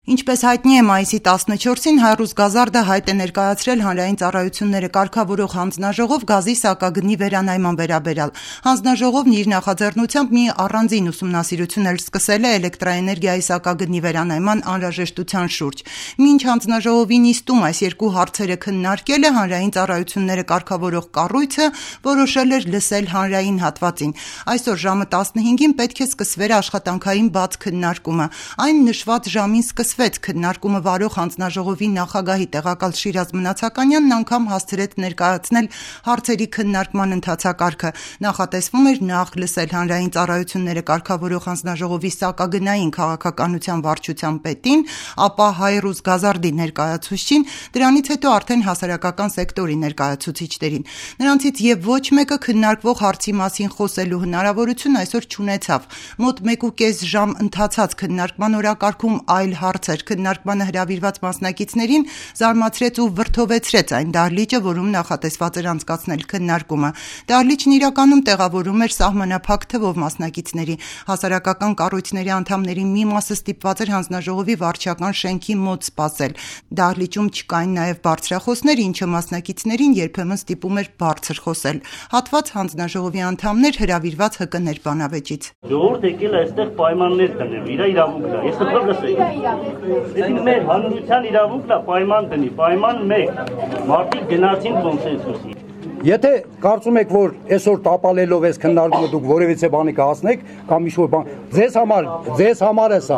Ինչպես հայտնի է, մայիսի 14-ին Հայրուզ Գազարդը հայտ է ներկայացրել հանրային ծառայությունները կարգավորող հանձնաժողով գազի սակագնի վերանայման վերաբերյալ։ Հանձնաժողովն իր նախաձեռնությամբ մի առանձին ուսումնասիրություն էլ սկսել է էլեկտրաէներգիայի սակագնի վերանայման անհրաժեշտության շուրջ։ Մինչ հանձնաժողովի նիստում այս երկու հարցերը քննարկելը հանրային ծառայությունները կարգավորող կառույցը որոշել էր լսել հանրային հատվածին։ Այսօր ժամը 15-ին պետք է սկսվեր աշխատանքային բաց քննարկումը։ Այն նշված ժամին սկսվեց քննարկումը վարող հանձնաժողովի նախագահի տեղակալ Շիրազ Մնացականյանն անգամ հասցրեց ներկայացնել հարցերի քննարկման ընթացակարգը։ Նախատեսվում էր նախ լսել հանրային ծառայությունները կարգավորող հանձնաժողովի սակագնային քաղաքականության վարչության պետին, ապա Հայրուզ Գազարդի ներկայացուցչին, դրանից հետո արդեն հասարակական սեկտորի ներկայացուցիչներին։ Նրանցից եւ ոչ մեկը քննարկվող հարցի մասին խոսելու հնարավորություն այսօր չունեցավ։ Մոտ 1.5 ժամ ընթացած քննարկման օրակարգում այլ հարցեր քննարկմանը հրավիրված մասնակիցներին զարմացրեց ու վրդովեցրեց այն դահլիճը, որում նախատեսված էր անցկացնել քննարկումը։ Դահլիճն իրականում տեղավորում էր սահմանափակ թվով մասնակիցների։ Հասարակական կառույցների անդամների մի մասը ստիպված էր հանձնաժողովի վարչական շենքի մոտ սպասել։ Դահլիճում չկային նաև բարձրախոսներ, ինչը մասնակիցներին երբեմն ստիպում էր բարձր խոսել։ Հատված հանձնաժողովի անդամներ հրավիրված ՀԿ բանավեճից։ Ժողովուրդ եկել է այստեղ պայմաններ դնել, իր իրավունքն է։ Ես խնդրում եմ մեր հանրության իրավունքն է պայման դնի, պայման 1 մարդիկ գնացին կոնսենսուսի։ Եթե կարծում եք, որ այսօր տապալելով այս քննարկումը դուք որևիցե բանի կհասնեք, կամ ինչ-որ բան, ձեզ համար է սա։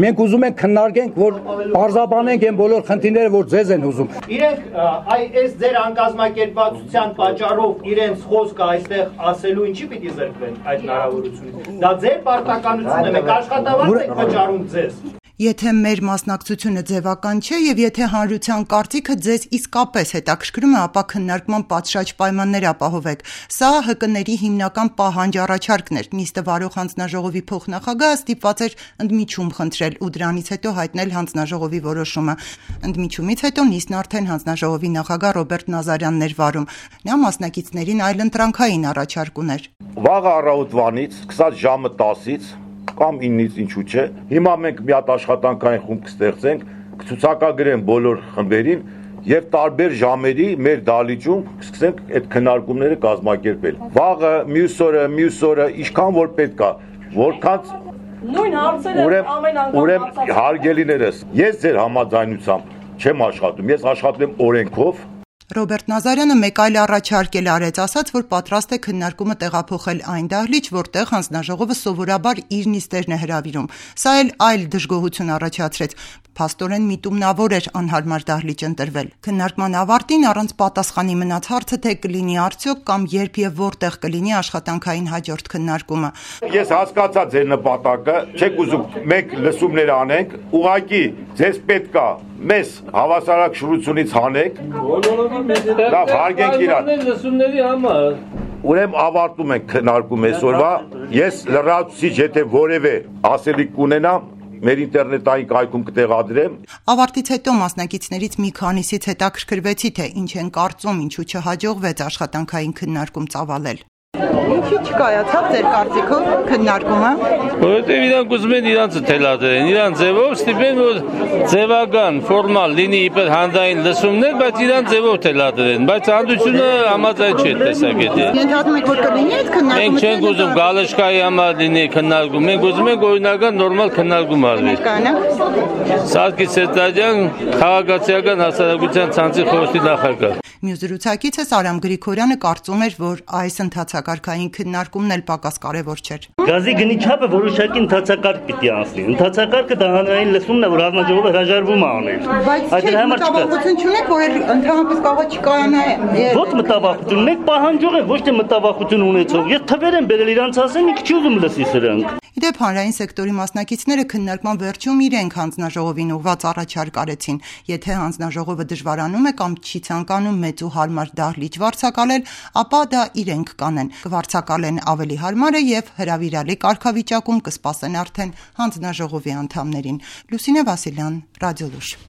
Մենք ուզում ենք քննարկենք, որ բարձաբանենք այն բոլոր խնդիրները, որ ձեզ են ուզում։ Իրենք այս ձեր անկազմակերպվածության պատճառով իրենց խոսքը այստեղ ասելու ինչի պիտի զրկվեն այդ հնարավորությունից։ Դա ձեր պարտականությունն է, մենք աշխատավարձ ենք վճարում ձեզ։ Եթե մեր մասնակցությունը ձևական չէ եւ եթե հանրության կարծիքը ձեզ իսկապես հետաքրքրում է, ապա քննարկման պատշաճ պայմաններ ապահովեք։ Սա ՀԿ-ների հիմնական պահանջ առաջարկն էր։ Նիստը վարող հանձնաժողովի փոխնախագահը ստիպված էր ընդմիջում խնդրել ու դրանից հետո հայտնել հանձնաժողովի որոշումը։ Ընդմիջումից հետո նիստն արդեն հանձնաժողովի նախագահ Ռոբերտ Նազարյանն էր վարում։ Նա մասնակիցներին այլընտրանքային առաջարկ ուներ։ Վաղ առավոտվանից, սկսած ժամը 10-ից կամ 9-ից ինչու չէ, հիմա մենք մի հատ աշխատանքային խումբ կստեղծենք, կցուցակագրենք բոլոր խմբերին եւ տարբեր ժամերի մեր դահլիճում սկսենք այդ քննարկումները կազմակերպել։ Վաղը, մյուս օրը, ինչքան որ պետք է, որքան նույն հարցերը ամեն անգամ հարգելիներս, ես ձեր համաձայնությամբ չեմ աշխատում, ես աշխատում եմ օրենքով։ Ռոբերտ Նազարյանը մեկ այլ առաջարկ էլ արեց, ասաց, որ պատրաստ է քննարկումը տեղափոխել այն դահլիճ, որտեղ հանձնաժողովը սովորաբար իր նիստերն է հրավիրում։ Սա էլ այլ դժգոհություն առաջացրեց։ Փաստորեն միտումնավոր էր անհարմար դահլիճ ընտրվել։ Քննարկման ավարտին առանց պատասխանի մնաց հարցը, թե կլինի արդյոք կամ երբ եւ որտեղ կլինի աշխատանքային հաջորդ քննարկումը։ Ես հասկացա ձեր նպատակը, չեք ուզում մենք լսումներ անենք, ուղղակի ձեզ պետք է մեզ հավասարակշռությունից հանեք։ Լավ, հարգենք իրար։ Լսումների համար։ Ուրեմն ավարտում ենք քննարկում այսօրվա։ Ես լրացուցիչ, եթե որևէ ասելիք կունենամ, մեր ինտերնետային կայքում կտեղադրեմ։ Ավարտից հետո մասնակիցներից մի քանիսից հետաքրքրվեցի, թե ինչ են կարծում, ինչու չհաջողվեց աշխատանքային քննարկում ծավալել։ Ինչի չկայացավ ձեր կարծիքով քննարկումը։ Որովհետև իրանք ուզում են իրանցը թելադրեն, իրան ձևով ստիպեն, որ ձևական, ֆորմալ լինի իբր հանրային լսումներ, բայց իրան ձևով թելադրեն, բայց հանդությունը համաձայն չէ տեսակետի։ Ենթադրում եք, որ կլինի այդ քննարկումը։ Մենք չենք ուզում գալեշկայի համար լինի քննարկում, մենք ուզում ենք օրինական նորմալ քննարկում արվի։ Սարգիս Սերտարյան, քաղաքացիական հասարակության ցանցի խորհրդի նախագահ։ Մյուս զրուցակիցս Արամ Գրիգորյանը կարծում էր, որ այս ընթացակարգային քննարկումն էլ պակաս կարևոր չէր։ Գազի գնի չափը որոշակի ընթացակարգ պիտի անցնի։ Ընթացակարգը դա հանրային լսումն է, որ հանձնաժողովը հրաժարվում է անել։ Բայց մտավախություն չունեք, որ ընդհանրապես կարող չկայանա։ Ոչ մտավախություն, մեկ պահանջող է, ոչ թե մտավախություն ունեցող։ Ես թվեր եմ բերել իրանց ասեմ, ինքը չի ուզում լսի սրանք։ Իդեպ հանրային սեկտորի մասնակիցները քննարկման վերջում իրենք հանձնաժողովին ուղղված առաջարկ արեցին։ Եթե հանձնաժողովը դժվարանում է կամ չի ցանկանում մեծ ու հարմար դահլիճ վարձակալել, ապա դա իրենք կանեն։ Կվարձակալեն ավելի հարմարը եւ հրավիրալի կարգավիճակում կսպասեն արդեն հանձնաժողովի անդամներին։ Լուսինե Վասիլյան, Ռադիոլուշ։